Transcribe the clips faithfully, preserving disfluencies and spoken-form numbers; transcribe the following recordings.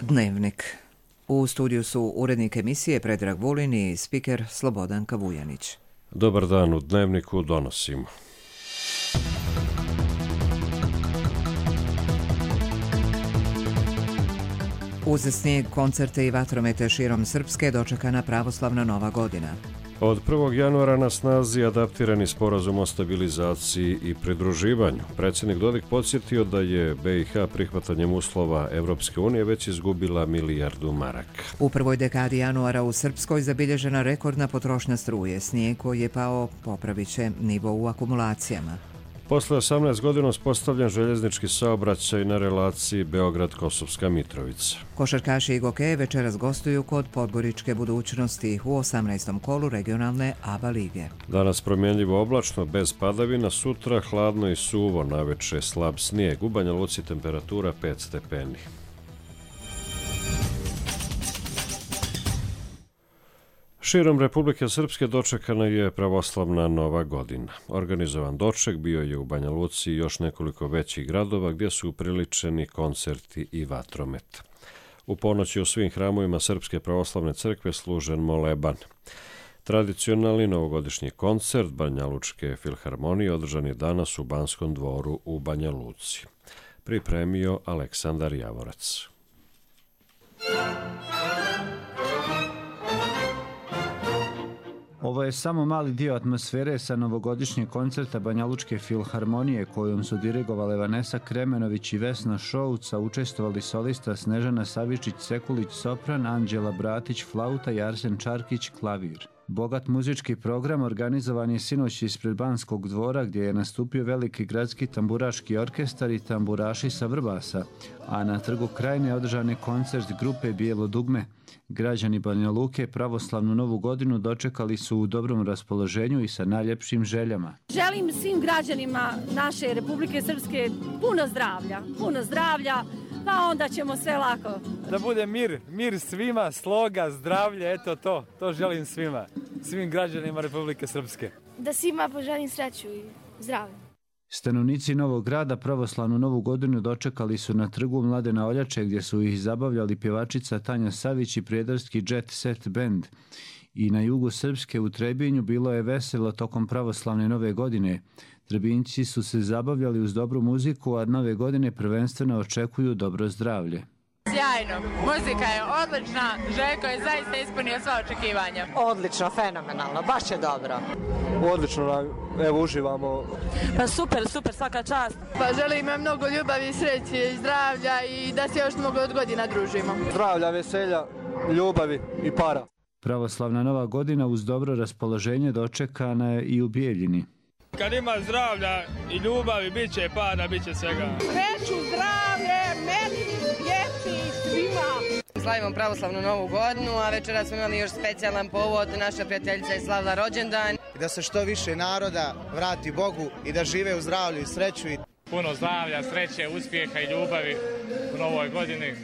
Dnevnik. U studiju su urednik emisije Predrag Vulin i spiker Slobodan Kavujanić. Dobar dan, u Dnevniku donosimo. Uz snijeg, koncerte i vatromete širom Srpske dočekana pravoslavna Nova godina. Od prvog januara na snazi adaptirani sporazum o stabilizaciji i pridruživanju. Predsjednik Dodik podsjetio da je be i ha prihvatanjem uslova Evropske unije već izgubila milijardu maraka. U prvoj dekadi januara u Srpskoj zabilježena rekordna potrošnja struje. Snijeg koji je pao popravit će nivo u akumulacijama. Posle osamnaest godina uspostavljen željeznički saobraćaj na relaciji Beograd-Kosovska Mitrovica. Košarkaši i gokeje večeras gostuju kod Podgoričke Budućnosti u osamnaestom kolu regionalne A B A lige. Danas promjenljivo oblačno, bez padavina, sutra hladno i suvo, naveče slab snijeg. U Banja Luci temperatura pet stepeni. Širom Republike Srpske dočekana je pravoslavna Nova godina. Organizovan doček bio je u Banja Luci i još nekoliko većih gradova gdje su upriličeni koncerti i vatromet. U ponoći u svim hramovima Srpske pravoslavne crkve služen moleban. Tradicionalni novogodišnji koncert Banjalučke filharmonije održan je danas u Banskom dvoru u Banja Luci. Pripremio Aleksandar Javorac. Ovo je samo mali dio atmosfere sa novogodišnjeg koncerta Banjalučke filharmonije kojom su dirigovale Vanesa Kremenović i Vesna Šouca, učestvovali solista Snežana Savičić-Sekulić sopran, Anđela Bratić flauta i Arsen Čarkić klavir. Bogat muzički program organizovan je sinoć ispred Banskog dvora gdje je nastupio veliki gradski tamburaški orkestar i tamburaši sa Vrbasa, a na Trgu Krajine održan je koncert grupe Bijelo dugme. Građani Banja Luke pravoslavnu Novu godinu dočekali su u dobrom raspoloženju i sa najljepšim željama. Želim svim građanima naše Republike Srpske puno zdravlja, puno zdravlja, pa onda ćemo sve lako. Da bude mir, mir svima, sloga, zdravlje, eto to, to želim svima, svim građanima Republike Srpske. Da svima poželim sreću i zdravlje. Stanovnici Novog Grada pravoslavnu Novu godinu dočekali su na Trgu Mladena Oljače gdje su ih zabavljali pjevačica Tanja Savić i prijedarski Jet Set Band. I na jugu Srpske u Trebinju bilo je veselo tokom pravoslavne Nove godine. Trebinjci su se zabavljali uz dobru muziku, a Nove godine prvenstveno očekuju dobro zdravlje. Sjajno, muzika je odlična, Željko je zaista ispunio sva očekivanja. Odlično, fenomenalno, baš je dobro. Odlično, evo uživamo. Pa super, super, svaka čast. Pa želim im mnogo ljubavi, sreće i zdravlja i da se još mnogo od godina družimo. Zdravlja, veselja, ljubavi i para. Pravoslavna Nova godina uz dobro raspoloženje dočekana je i u Bijeljini. Kad ima zdravlja i ljubavi, bit će para, bit će svega. Sreću, zdravlje, meni, djeci, svima. Slavimo pravoslavnu Novu godinu, a večera smo imali još specijalan povod, naša prijateljica je slavila rođendan. Da se što više naroda vrati Bogu i da žive u zdravlju i sreću. Puno zdravlja, sreće, uspjeha i ljubavi u Novoj godini.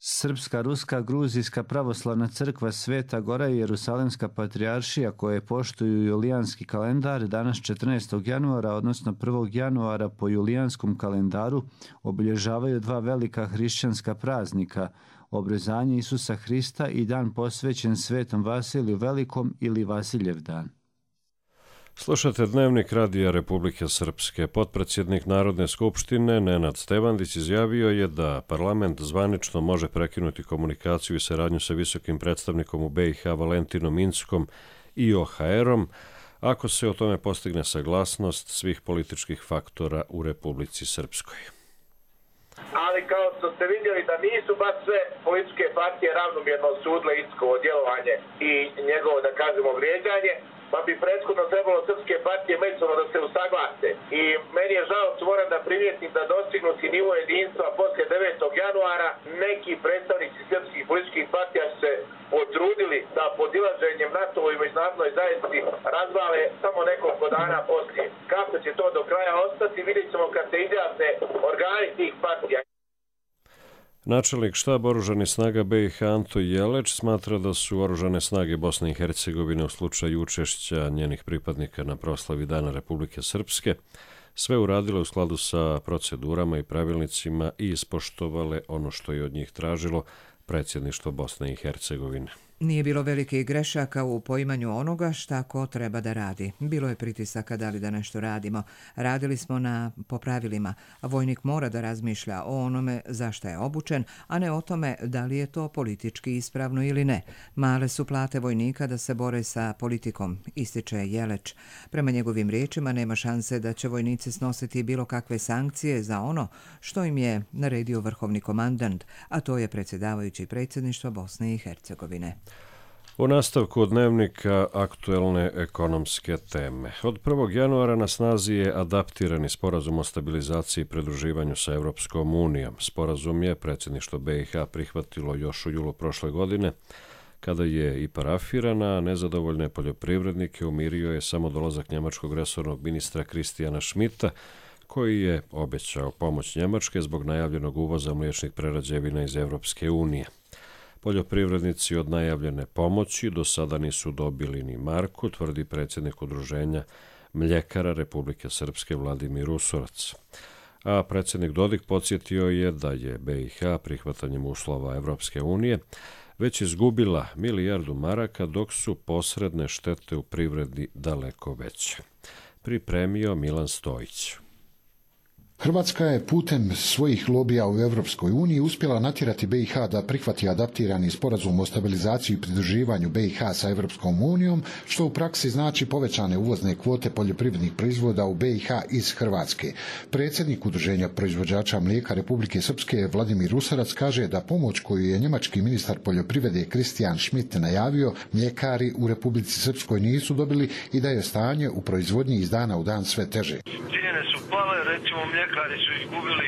Srpska, Ruska, Gruzijska pravoslavna crkva Sveta Gora i Jerusalemska patrijaršija koje poštuju julijanski kalendar danas četrnaestog januara, odnosno prvog januara po julijanskom kalendaru, obilježavaju dva velika hrišćanska praznika, obrezanje Isusa Hrista i dan posvećen Svetom Vasiliju Velikom ili Vasiljev dan. Slušate Dnevnik Radija Republike Srpske. Potpredsjednik Narodne skupštine Nenad Stevandić izjavio je da parlament zvanično može prekinuti komunikaciju i saradnju sa visokim predstavnikom u be i ha Valentinom Inckom i o ha erom ako se o tome postigne saglasnost svih političkih faktora u Republici Srpskoj. Ali kao što ste vidjeli da nisu baš sve političke partije ravnomjerno osudile Inckovo djelovanje i njegovo, da kažemo, vrijeđanje, pa bi prethodno trebalo srpske partije međusobno da se usaglase. I meni je žao što moram da primijetim da dostignuti nivo jedinstva poslije devetog januara neki predstavnici srpskih političkih partija su se potrudili da podilaženjem NATO-voj i međunarodnoj zajednici razvale samo nekoliko dana poslije. Kako će to do kraja ostati, vidjet ćemo kad se izjasne organi tih partija. Načelnik štaba oružanih snaga be i ha Anto Jeleć smatra da su oružane snage Bosne i Hercegovine u slučaju učešća njenih pripadnika na proslavi Dana Republike Srpske sve uradile u skladu sa procedurama i pravilnicima i ispoštovale ono što je od njih tražilo predsjedništvo Bosne i Hercegovine. Nije bilo velikih grešaka u poimanju onoga šta ko treba da radi. Bilo je pritisaka da li da nešto radimo. Radili smo na po pravilima. Vojnik mora da razmišlja o onome za šta je obučen, a ne o tome da li je to politički ispravno ili ne. Male su plate vojnika da se bore sa politikom, ističe Jeleč. Prema njegovim riječima nema šanse da će vojnici snositi bilo kakve sankcije za ono što im je naredio vrhovni komandant, a to je predsjedavajući predsjedništva Bosne i Hercegovine. U nastavku dnevnika aktuelne ekonomske teme. Od prvog januara na snazi je adaptirani sporazum o stabilizaciji i pridruživanju sa Evropskom unijom. Sporazum je predsjedništvo B i H prihvatilo još u julu prošle godine, kada je i parafirana, a nezadovoljne poljoprivrednike umirio je samo dolazak njemačkog resornog ministra Kristijana Schmidta, koji je obećao pomoć Njemačke zbog najavljenog uvoza mliječnih prerađevina iz Evropske unije. Poljoprivrednici od najavljene pomoći do sada nisu dobili ni marku, tvrdi predsjednik udruženja mljekara Republike Srpske Vladimir Usurac. A predsjednik Dodik podsjetio je da je B i H prihvatanjem uslova Evropske unije već izgubila milijardu maraka, dok su posredne štete u privredi daleko veće. Pripremio Milan Stojić. Hrvatska je putem svojih lobija u Evropskoj uniji uspjela natjerati B i H da prihvati adaptirani sporazum o stabilizaciji i pridruživanju B i H sa Evropskom unijom, što u praksi znači povećane uvozne kvote poljoprivrednih proizvoda u B i H iz Hrvatske. Predsjednik udruženja proizvođača mlijeka Republike Srpske Vladimir Usarac kaže da pomoć koju je njemački ministar poljoprivrede Kristijan Schmidt najavio mljekari u Republici Srpskoj nisu dobili i da je stanje u proizvodnji iz dana u dan sve teže. Cijene su pale, recimo mljekari su izgubili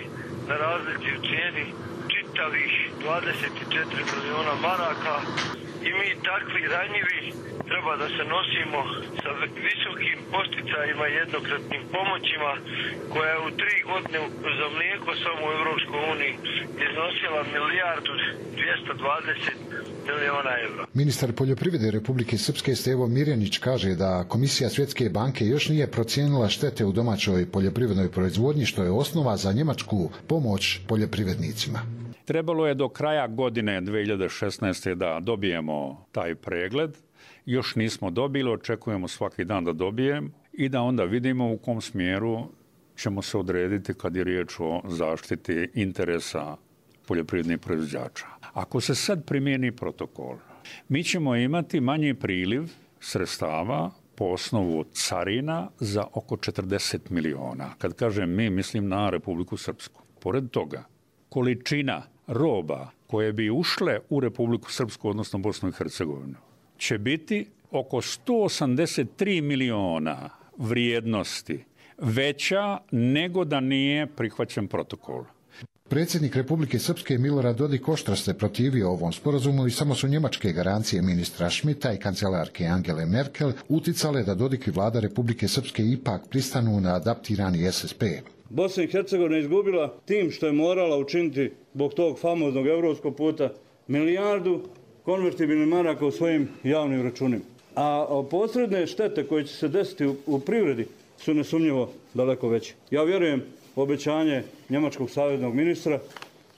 na razliki u cijeni čitavih dvadeset četiri miliona maraka i mi takvi ranjivi treba da se nosimo sa visokim posticajima i jednokratnim pomoćima koja je u tri godine za mlijeko samo u Evropskoj uniji iznosila milijardu dvjesto dvadeset miliona evra. Ministar poljoprivrede Republike Srpske Stevo Mirjanić kaže da Komisija Svjetske banke još nije procijenila štete u domaćoj poljoprivrednoj proizvodnji, što je osnova za njemačku pomoć poljoprivrednicima. Trebalo je do kraja godine dvije hiljade šesnaeste. da dobijemo taj pregled. Još nismo dobili, očekujemo svaki dan da dobijemo i da onda vidimo u kom smjeru ćemo se odrediti kad je riječ o zaštiti interesa poljoprivrednih proizvođača. Ako se sad primijeni protokol, mi ćemo imati manji priliv sredstava po osnovu carina za oko četrdeset miliona. Kad kažem mi, mislim na Republiku Srpsku. Pored toga, količina roba koje bi ušle u Republiku Srpsku, odnosno Bosnu i Hercegovinu, će biti oko sto osamdeset tri miliona vrijednosti veća nego da nije prihvaćen protokol. Predsjednik Republike Srpske Milorad Dodik oštro se protivio ovom sporazumu i samo su njemačke garancije ministra Schmidta i kancelarke Angele Merkel uticale da Dodik i vlada Republike Srpske ipak pristanu na adaptirani S S P. Bosna i Hercegovina je izgubila tim što je morala učiniti zbog tog famoznog europskog puta milijardu konvertibilnih maraka u svojim javnim računima. A posredne štete koje će se desiti u, u privredi su nesumnjivo daleko veće. Ja vjerujem obećanje njemačkog savjetnog ministra.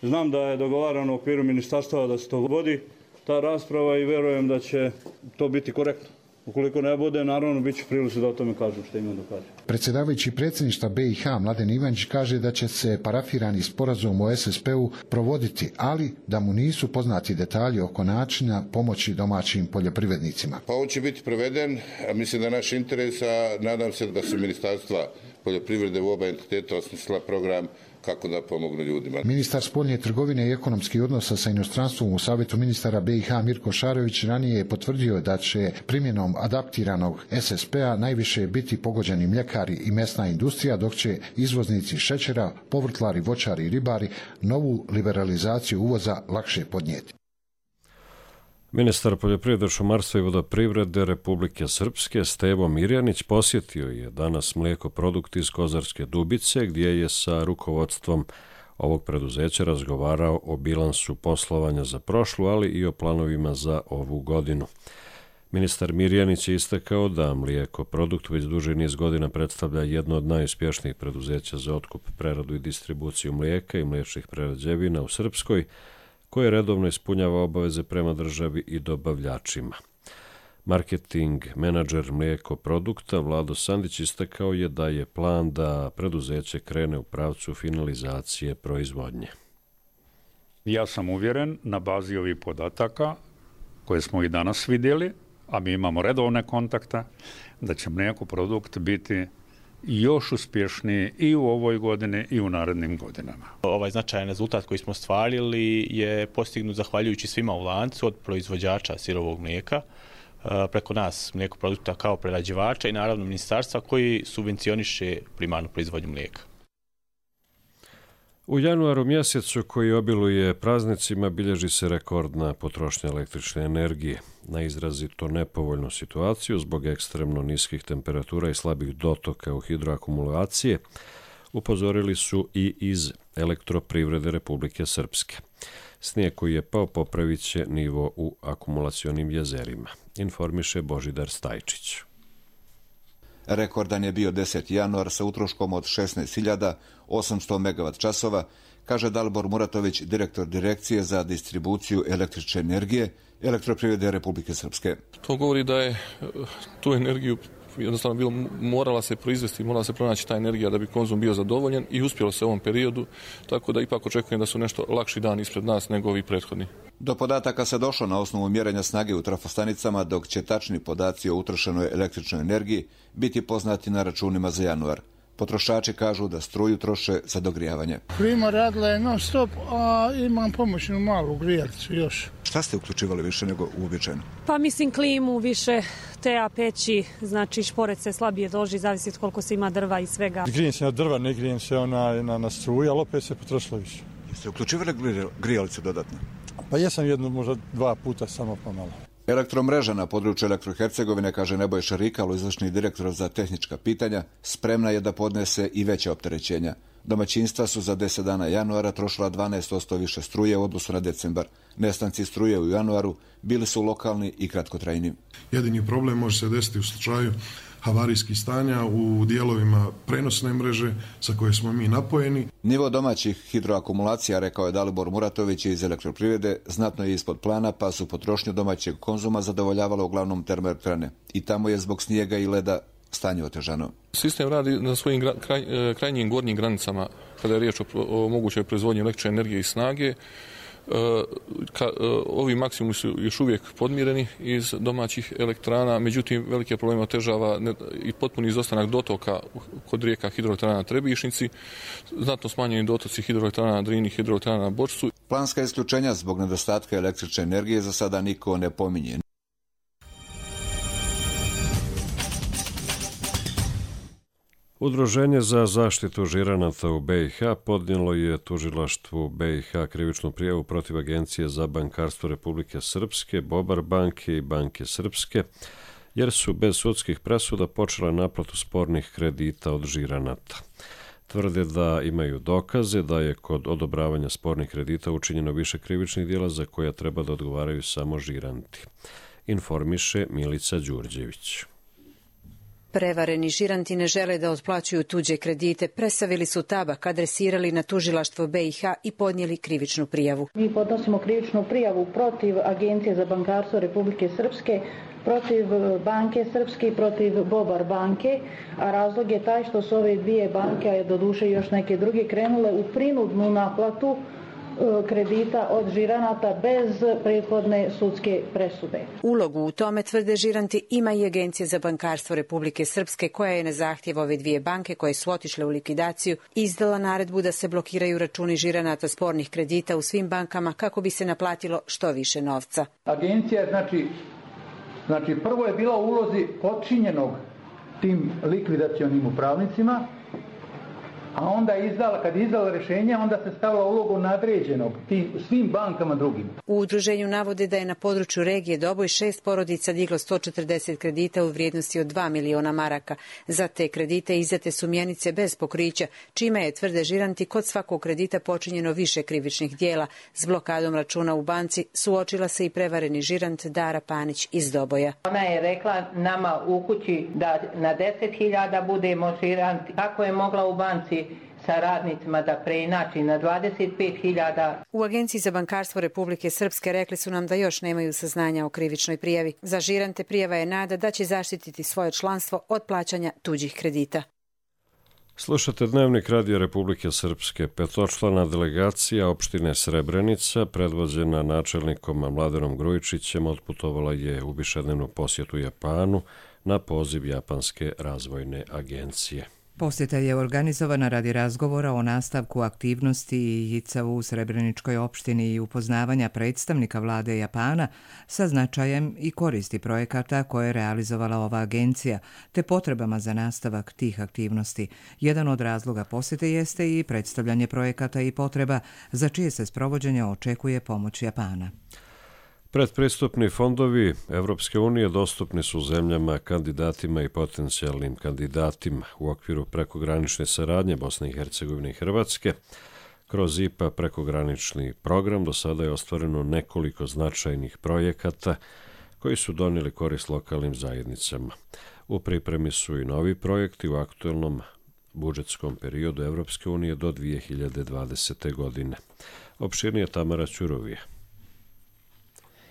Znam da je dogovarano u okviru ministarstva da se to vodi ta rasprava i vjerujem da će to biti korektno. Ukoliko ne bude, naravno, bit će prilici da o tome kažem što imam da kažem. Predsjedavajući predsjedništva B i H Mladen Ivanić kaže da će se parafirani sporazum o S S P-u provoditi, ali da mu nisu poznati detalji oko načina pomoći domaćim poljoprivrednicima. Pa on će biti proveden, a mislim da naš interes, a nadam se da su ministarstva poljoprivrede u oba entiteta osmislila program kako da pomognu ljudima. Ministar spoljne trgovine i ekonomskih odnosa sa inostranstvom u Savjetu ministara B i H Mirko Šarović ranije je potvrdio da će primjenom adaptiranog S S P-a najviše biti pogođeni mljekari i mesna industrija, dok će izvoznici šećera, povrtlari, voćari i ribari novu liberalizaciju uvoza lakše podnijeti. Ministar poljoprivrede, šumarstva i vodoprivrede Republike Srpske Stevo Mirjanić posjetio je danas Mlijekoprodukt iz Kozarske Dubice, gdje je sa rukovodstvom ovog preduzeća razgovarao o bilansu poslovanja za prošlu, ali i o planovima za ovu godinu. Ministar Mirjanić je istakao da Mlijekoprodukt već duži niz godina predstavlja jedno od najuspješnijih preduzeća za otkup, preradu i distribuciju mlijeka i mliječnih prerađevina u Srpskoj, koje redovno ispunjava obaveze prema državi i dobavljačima. Marketing menadžer mlijeko produkta Vlado Sandić istakao je da je plan da preduzeće krene u pravcu finalizacije proizvodnje. Ja sam uvjeren na bazi ovih podataka koje smo i danas vidjeli, a mi imamo redovne kontakte, da će mlijeko produkt biti još uspješniji i u ovoj godini i u narednim godinama. Ovaj značajan rezultat koji smo ostvarili je postignut zahvaljujući svima u lancu, od proizvođača sirovog mlijeka, preko nas mlijeko produkta kao prerađivača i naravno ministarstva koji subvencioniše primarnu proizvodnju mlijeka. U januaru mjesecu koji obiluje praznicima bilježi se rekordna potrošnja električne energije. Na izrazito nepovoljnu situaciju zbog ekstremno niskih temperatura i slabih dotoka u hidroakumulacije upozorili su i iz Elektroprivrede Republike Srpske. Snijeg koji je pao popravit će nivo u akumulacionim jezerima, informiše Božidar Stajčić. Rekordan je bio deseti januar sa utroškom od šesnaest hiljada osamsto megavat časova, kaže Dalibor Muratović, direktor Direkcije za distribuciju električne energije Elektroprivrede Republike Srpske. To govori da je tu energiju jednostavno bilo, morala se proizvesti, morala se pronaći ta energija da bi konzum bio zadovoljen i uspjelo se u ovom periodu, tako da ipak očekujem da su nešto lakši dan ispred nas nego ovi prethodni. Do podataka se došlo na osnovu mjerenja snage u trafostanicama, dok će tačni podaci o utrošenoj električnoj energiji biti poznati na računima za januar. Potrošači kažu da struju troše za dogrijavanje. Klima radila je non stop, a imam pomoćnu malu grijalicu još. Šta ste uključivali više nego uobičajeno? Pa mislim klimu, više teja, peći, znači šporet se slabije doži, zavisi od koliko se ima drva i svega. Grijem se na drva, ne grijem se ona, na, na struju, ali opet se potrošilo više. Jeste uključivali grijalicu dodatno? Pa jesam jedno, možda dva puta, samo pomalo. Elektromreža na području Elektrohercegovine, kaže Nebojša Rikalo, izvršni direktor za tehnička pitanja, spremna je da podnese i veća opterećenja. Domaćinstva su za deset dana januara trošila dvanaest posto više struje u odnosu na decembar. Nestanci struje u januaru bili su lokalni i kratkotrajni. Jedini problem može se desiti u slučaju havarijskih stanja u dijelovima prenosne mreže sa koje smo mi napojeni. Nivo domaćih hidroakumulacija, rekao je Dalibor Muratović iz Elektroprivrede, znatno je ispod plana, pa su potrošnju domaćeg konzuma zadovoljavalo uglavnom termoelektrane. I tamo je zbog snijega i leda stanje otežano. Sistem radi na svojim gra, kraj, krajnjim gornjim granicama kada je riječ o, o mogućoj proizvodnji električne energije i snage. Ka, ovi maksimumi su još uvijek podmireni iz domaćih elektrana, međutim velike probleme otežava i potpuni izostanak dotoka kod rijeka hidroelektrana na Trebišnici, znatno smanjeni dotoci hidroelektrana na Drini, hidroelektrana na Bočcu. Planska isključenja zbog nedostatka električne energije za sada niko ne pominje. Udruženje za zaštitu žiranata u B i H podnijelo je tužilaštvu B i H krivičnu prijavu protiv Agencije za bankarstvo Republike Srpske, Bobar banke i Banke Srpske, jer su bez sudskih presuda počele naplatu spornih kredita od žiranata. Tvrde da imaju dokaze da je kod odobravanja spornih kredita učinjeno više krivičnih djela za koja treba da odgovaraju samo žiranti, informiše Milica Đurđević. Prevareni žiranti ne žele da otplaćuju tuđe kredite, presavili su tabak, adresirali na tužilaštvo B i H i podnijeli krivičnu prijavu. Mi podnosimo krivičnu prijavu protiv Agencije za bankarstvo Republike Srpske, protiv Banke Srpske i protiv Bobar banke, a razlog je taj što su ove dvije banke, a doduše još neke druge, krenule u prinudnu naplatu kredita od žiranata bez prethodne sudske presude. Ulogu u tome, tvrde žiranti, ima i Agencija za bankarstvo Republike Srpske, koja je na zahtjev ove dvije banke koje su otišle u likvidaciju izdala naredbu da se blokiraju računi žiranata spornih kredita u svim bankama kako bi se naplatilo što više novca. Agencija, znači, znači prvo je bila u ulozi počinjenog tim likvidacionim upravnicima, a onda je izdala, kad je izdala rješenje, onda se stavila ulogu nadređenog tim svim bankama drugim. U udruženju navode da je na području regije Doboj šest porodica diglo sto četrdeset kredita u vrijednosti od dva miliona maraka. Za te kredite izdate su mjenice bez pokrića, čime je, tvrde žiranti, kod svakog kredita počinjeno više krivičnih dijela. S blokadom računa u banci suočila se i prevareni žirant Dara Panić iz Doboja. Ona je rekla nama u kući da na deset hiljada budemo žiranti. Kako je mogla u banci sa radnicima da preinači na dvadeset pet hiljada. U Agenciji za bankarstvo Republike Srpske rekli su nam da još nemaju saznanja o krivičnoj prijavi. Za žirante prijava je nada da će zaštititi svoje članstvo od plaćanja tuđih kredita. Slušate Dnevnik Radija Republike Srpske. Petočlana delegacija opštine Srebrenica, predvođena načelnikom Mladenom Grujičićem, otputovala je u višednevnu posjetu Japanu na poziv Japanske razvojne agencije. Posjeta je organizovana radi razgovora o nastavku aktivnosti I I C A u Srebreničkoj opštini i upoznavanja predstavnika vlade Japana sa značajem I koristi projekata koje je realizovala ova agencija, te potrebama za nastavak tih aktivnosti. Jedan od razloga posjete jeste I predstavljanje projekata I potreba za čije se sprovođenje očekuje pomoć Japana. Predpristupni fondovi Evropske unije dostupni su zemljama, kandidatima I potencijalnim kandidatima u okviru prekogranične saradnje Bosne i Hercegovine I Hrvatske. Kroz I P A prekogranični program do sada je ostvareno nekoliko značajnih projekata koji su donijeli korist lokalnim zajednicama. U pripremi su I novi projekti u aktuelnom budžetskom periodu Evropske unije do dvije hiljade dvadesete. godine. Opširnije Tamara Ćurovija.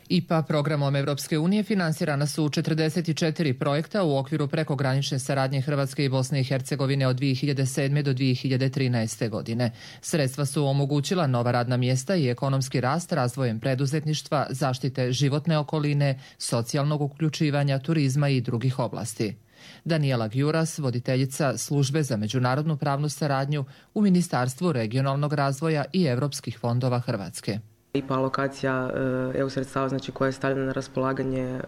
I P A programom Evropske unije finansirana su četrdeset četiri projekta u okviru prekogranične saradnje Hrvatske I Bosne i Hercegovine od dvije hiljade sedme. do dvije hiljade trinaeste. godine. Sredstva su omogućila nova radna mjesta I ekonomski rast razvojem preduzetništva, zaštite životne okoline, socijalnog uključivanja, turizma I drugih oblasti. Daniela Gjuras, voditeljica Službe za međunarodnu pravnu saradnju u Ministarstvu regionalnog razvoja I evropskih fondova Hrvatske. I P A alokacija E U sredstava, znači, koja je stavljena na raspolaganje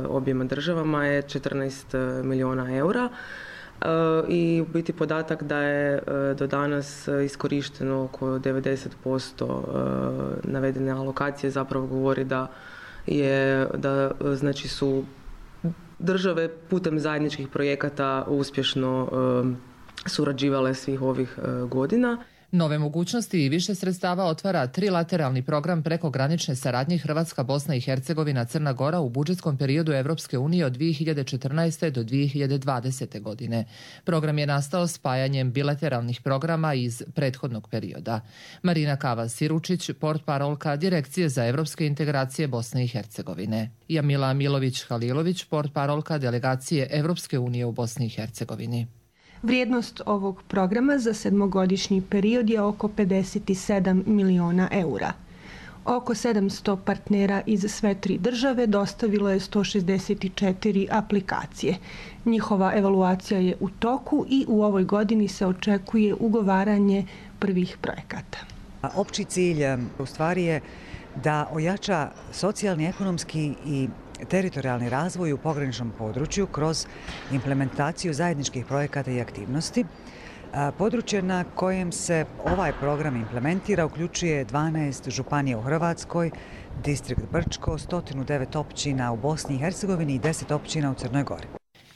objema državama je četrnaest milijuna eura. I u biti podatak da je do danas iskorišteno oko devedeset posto navedene alokacije zapravo govori da je da znači su države putem zajedničkih projekata uspješno surađivale svih ovih godina. Nove mogućnosti I više sredstava otvara trilateralni program prekogranične saradnje Hrvatska, Bosna i Hercegovina, Crna Gora u budžetskom periodu Evropske unije od dvije hiljade četrnaeste. do dvije hiljade dvadesete. godine. Program je nastao spajanjem bilateralnih programa iz prethodnog perioda. Marina Kava-Siručić, portparolka Direkcije za evropske integracije Bosne i Hercegovine. Jamila Milović-Halilović, portparolka Delegacije Evropske unije u Bosni i Hercegovini. Vrijednost ovog programa za sedmogodišnji period je oko pedeset sedam miliona eura. Oko sedamsto partnera iz sve tri države dostavilo je sto šezdeset četiri aplikacije. Njihova evaluacija je u toku I u ovoj godini se očekuje ugovaranje prvih projekata. Opći cilj u stvari je da ojača socijalni, ekonomski I teritorijalni razvoj u pograničnom području kroz implementaciju zajedničkih projekata I aktivnosti. Područje na kojem se ovaj program implementira uključuje dvanaest županija u Hrvatskoj, distrikt Brčko, sto devet općina u Bosni i Hercegovini I deset općina u Crnoj Gori.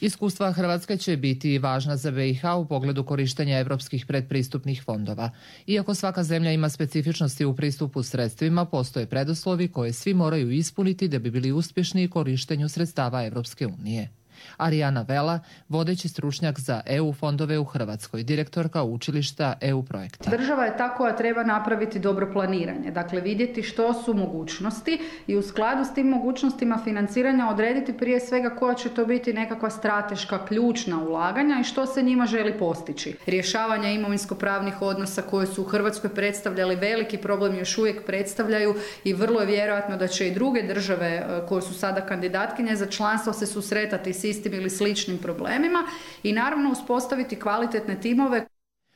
Iskustva Hrvatske će biti važna za B i H u pogledu korištenja evropskih predpristupnih fondova. Iako svaka zemlja ima specifičnosti u pristupu sredstvima, postoje preduslovi koje svi moraju ispuniti da bi bili uspješni u korištenju sredstava Evropske unije. Arijana Vela, vodeći stručnjak za E U fondove u Hrvatskoj, direktorka učilišta E U projekta. Država je ta koja treba napraviti dobro planiranje, dakle vidjeti što su mogućnosti I u skladu s tim mogućnostima financiranja odrediti prije svega koja će to biti nekakva strateška ključna ulaganja I što se njima želi postići. Rješavanje imovinsko-pravnih odnosa koje su u Hrvatskoj predstavljali veliki problem još uvijek predstavljaju I vrlo je vjerojatno da će I druge države koje su sada kandidatkinje za članstvo se susretati s istim ili sličnim problemima I naravno uspostaviti kvalitetne timove.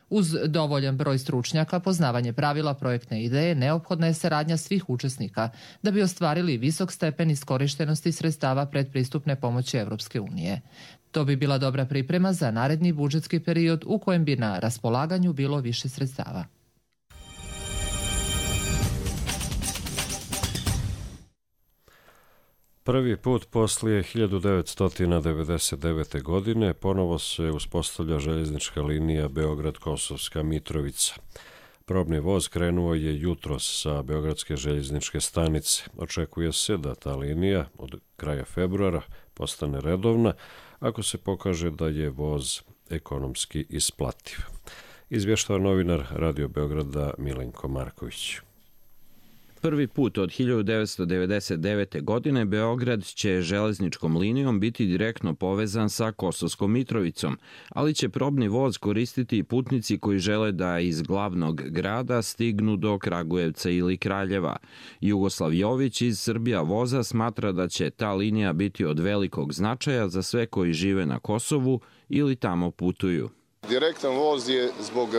Uz dovoljan broj stručnjaka, poznavanje pravila projektne ideje, neophodna je saradnja svih učesnika da bi ostvarili visok stepen iskorištenosti sredstava predpristupne pomoći Evropske unije. To bi bila dobra priprema za naredni budžetski period u kojem bi na raspolaganju bilo više sredstava. Prvi put poslije hiljadu devetsto devedeset devete. godine ponovo se uspostavlja željeznička linija Beograd-Kosovska Mitrovica. Probni voz krenuo je jutros sa Beogradske željezničke stanice. Očekuje se da ta linija od kraja februara postane redovna ako se pokaže da je voz ekonomski isplativ. izvještava novinar Radio Beograda Milenko Marković. Prvi put od hiljadu devetsto devedeset devete. godine Beograd će železničkom linijom biti direktno povezan sa Kosovskom Mitrovicom, ali će probni voz koristiti i putnici koji žele da iz glavnog grada stignu do Kragujevca ili Kraljeva. Jugoslav Jović iz Srbija voza smatra da će ta linija biti od velikog značaja za sve koji žive na Kosovu ili tamo putuju. Direktan voz je zbog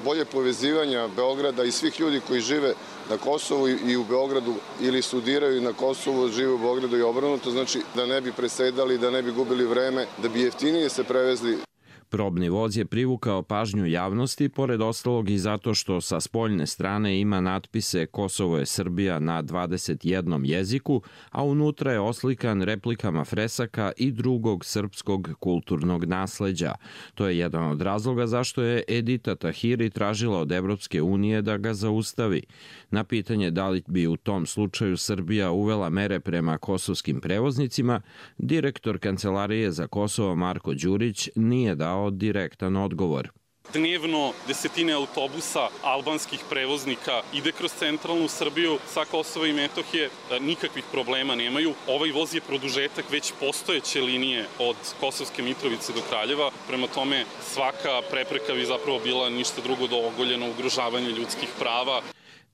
bolje povezivanja Beograda i svih ljudi koji žive na Kosovu i u Beogradu ili studiraju na Kosovu, žive u Beogradu i obrnuto, znači da ne bi presedali, da ne bi gubili vreme, da bi jeftinije se prevezli. Probni voz je privukao pažnju javnosti, pored ostalog i zato što sa spoljne strane ima natpise Kosovo je Srbija na dvadeset jednom jeziku, a unutra je oslikan replikama fresaka i drugog srpskog kulturnog nasleđa. To je jedan od razloga zašto je Edita Tahiri tražila od Evropske unije da ga zaustavi. Na pitanje da li bi u tom slučaju Srbija uvela mere prema kosovskim prevoznicima, direktor Kancelarije za Kosovo Marko Đurić nije dao direktan odgovor. Dnevno desetine autobusa albanskih prevoznika ide kroz centralnu Srbiju sa Kosova i Metohije, nikakvih problema nemaju. Ovaj voz je produžetak već postojeće linije od Kosovske Mitrovice do Kraljeva, prema tome svaka prepreka bi zapravo bila ništa drugo do ogoljeno ugrožavanje ljudskih prava.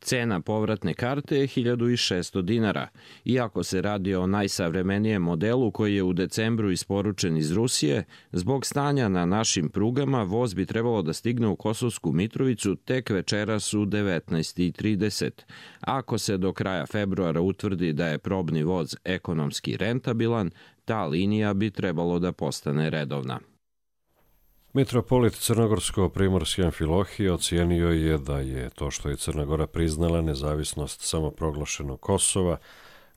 Cena povratne karte je hiljadu šessto dinara. Iako se radi o najsavremenijem modelu koji je u decembru isporučen iz Rusije, zbog stanja na našim prugama voz bi trebalo da stigne u Kosovsku Mitrovicu tek večeras u devetnaest i trideset. Ako se do kraja februara utvrdi da je probni voz ekonomski rentabilan, ta linija bi trebalo da postane redovna. Mitropolit Crnogorsko-Primorske Amfilohije ocijenio je da je to što je Crna Gora priznala nezavisnost samoproglašenog Kosova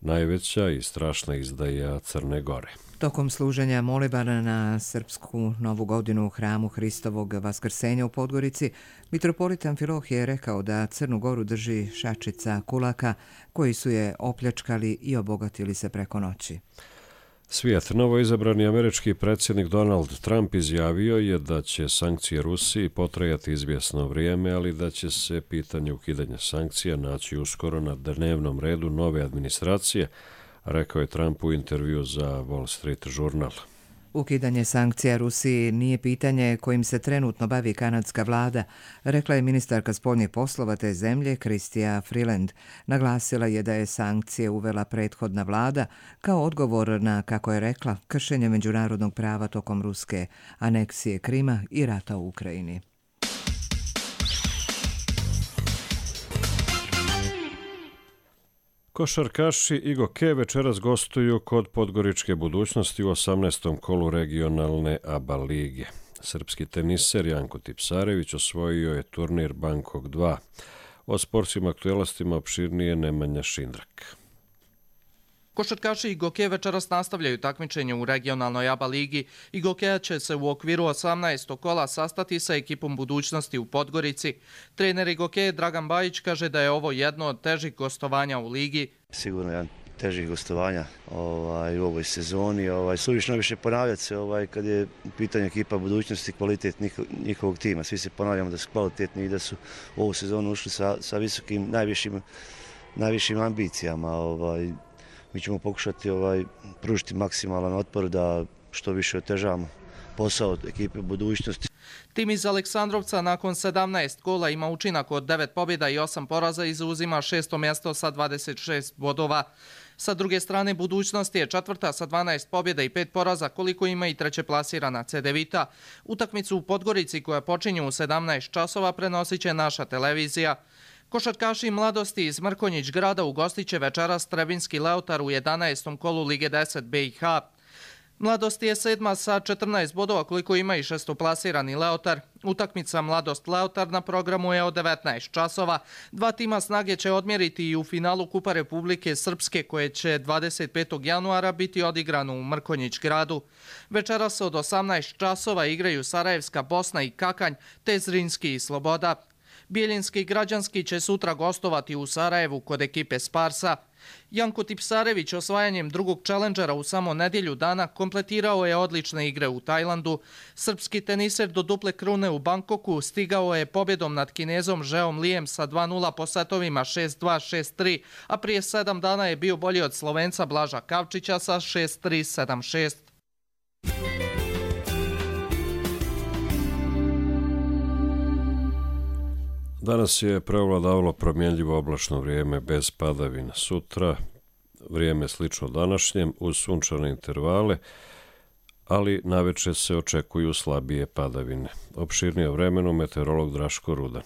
najveća i strašna izdaja Crne Gore. Tokom služenja molibana na srpsku novu godinu u hramu Hristovog Vaskrsenja u Podgorici, mitropolit Amfilohije je rekao da Crnu Goru drži šačica kulaka koji su je opljačkali i obogatili se preko noći. Svijet. Novoizabrani američki predsjednik Donald Trump izjavio je da će sankcije Rusiji potrajati izvjesno vrijeme, ali da će se pitanje ukidanja sankcija naći uskoro na dnevnom redu nove administracije, rekao je Trump u intervju za Wall Street Journal. Ukidanje sankcija Rusiji nije pitanje kojim se trenutno bavi kanadska vlada, rekla je ministarka spoljnih poslova te zemlje Chrystia Freeland. Naglasila je da je sankcije uvela prethodna vlada kao odgovor na, kako je rekla, kršenje međunarodnog prava tokom ruske aneksije Krima i rata u Ukrajini. Košarkaši i Goke večeras gostuju kod Podgoričke Budućnosti u osamnaestom kolu regionalne A B A lige. Srpski teniser Janko Tipsarević osvojio je turnir Bangkok dva. O sportskim aktualnostima opširnije Nemanja Šindrak. Košarkaši i Goke večeras nastavljaju takmičenje u regionalnoj A B A ligi i Gokeja će se u okviru osamnaestog kola sastati sa ekipom Budućnosti u Podgorici. Trener Gokeje Dragan Bajić kaže da je ovo jedno od težih gostovanja u ligi. Sigurno jedan težih gostovanja ovaj, u ovoj sezoni. Ovaj, suvišno više ponavljati se ovaj, kad je u pitanju ekipa Budućnosti, kvalitet njihovog tima. Svi se ponavljamo da su kvalitetni i da su u ovu sezonu ušli sa, sa visokim, najvišim, najvišim ambicijama. Ovaj, Mi ćemo pokušati ovaj, pružiti maksimalan otpor da što više otežavamo posao ekipe Budućnosti. Tim iz Aleksandrovca nakon sedamnaest gola ima učinak od devet pobjeda i osam poraza i zauzima šesto mjesto sa dvadeset šest bodova. Sa druge strane, Budućnost je četvrta sa dvanaest pobjeda i pet poraza, koliko ima i treće plasirana C D Vita. Utakmicu u Podgorici koja počinje u sedamnaest časova prenosit će naša televizija. Košarkaši Mladosti iz Mrkonjić grada ugostit će večeras Trebinski Leotar u jedanaestom kolu Lige deset B i H. Mladost je sedma sa četrnaest bodova, koliko ima i šestoplasirani Leotar. Utakmica Mladost Leotar na programu je od devetnaest časova. Dva tima snage će odmjeriti i u finalu Kupa Republike Srpske, koje će dvadeset petog januara biti odigrano u Mrkonjić gradu. Večeras od osamnaest časova igraju Sarajevska Bosna i Kakanj, te Zrinski i Sloboda. Bijeljinski građanski će sutra gostovati u Sarajevu kod ekipe Sparsa. Janko Tipsarević osvajanjem drugog čelendžera u samo nedjelju dana kompletirao je odlične igre u Tajlandu. Srpski teniser do duple krune u Bangkoku stigao je pobjedom nad Kinezom Žeom Lijem sa dva nula po setovima šest dva šest tri, a prije sedam dana je bio bolji od Slovenca Blaža Kavčića sa šest tri sedam šest. Danas je preovladavalo promjenljivo oblačno vrijeme bez padavina. Sutra vrijeme slično današnjem uz sunčane intervale, ali navečer se očekuju slabije padavine. Opširnije o vremenu meteorolog Draško Rudan.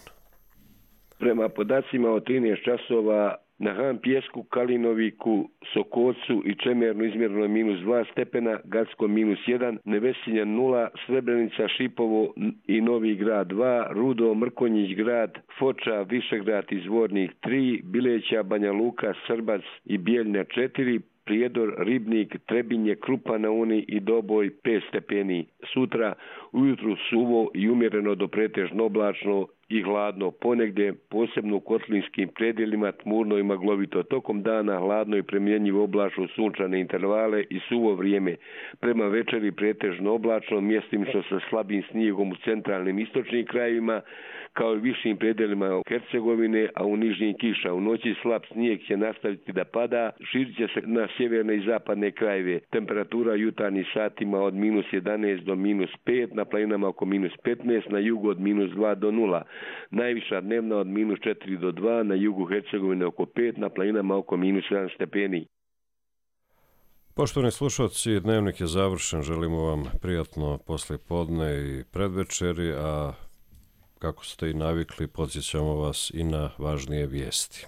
Prema podacima od trinaest časova na Han Pjesku, Kalinoviku, Sokocu i Čemernu izmjereno je minus dva stepena, Gacko minus jedan, Nevesinja nula, Srebrenica, Šipovo i Novi Grad dva, Rudo, Mrkonjić grad, Foča, Višegrad i Zvornik tri, Bileća, Banja Luka, Srbac i Bijeljna četiri, Prijedor, Ribnik, Trebinje, Krupa na Uni i Doboj pet stepeni. Sutra ujutru suvo i umjereno do pretežno oblačno i hladno, ponegdje posebno u kotlinskim predjelima tmurno i maglovito. Tokom dana hladno i premjenjivo oblačno sunčane intervale i suvo vrijeme. Prema večeri pretežno oblačno, mjestimično sa slabim snijegom u centralnim istočnim krajevima, kao i višim predjelima Hercegovine, a u nižnjim kiša. U noći slab snijeg će nastaviti da pada, širit će se na sjeverne i zapadne krajeve. Temperatura jutarnjih satima od minus jedanaest do minus pet, na planinama oko minus petnaest, na jugu od minus dva do nula. Najviša dnevna od minus četiri do dva, na jugu Hercegovine oko pet, na planinama oko minus jedan stepeni. Poštovani slušalci, dnevnik je završen. Želimo vam prijatno poslijepodne i predvečeri, a kako ste i navikli, podsjećamo vas i na važnije vijesti.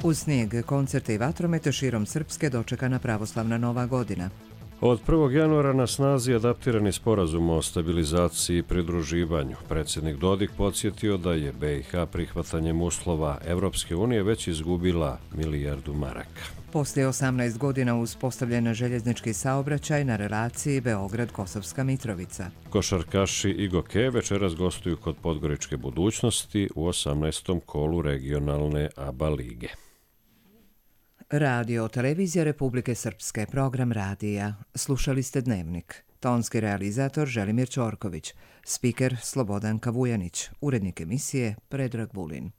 Uz snijeg, koncerte i vatromete širom Srpske dočekana pravoslavna Nova godina. Od prvog januara na snazi adaptirani sporazum o stabilizaciji i pridruživanju. Predsjednik Dodik podsjetio da je B i H prihvatanjem uslova Evropske unije već izgubila milijardu maraka. Poslije osamnaest godina uspostavljen željeznički saobraćaj na relaciji Beograd-Kosovska Mitrovica. Košarkaši i Goke večeras gostuju kod Podgoričke Budućnosti u osamnaestom kolu regionalne A B A lige. Radio Televizija Republike Srpske, program radija. Slušali ste Dnevnik. Tonski realizator Želimir Ćorković, spiker Slobodan Kavujanić, urednik emisije Predrag Vulin.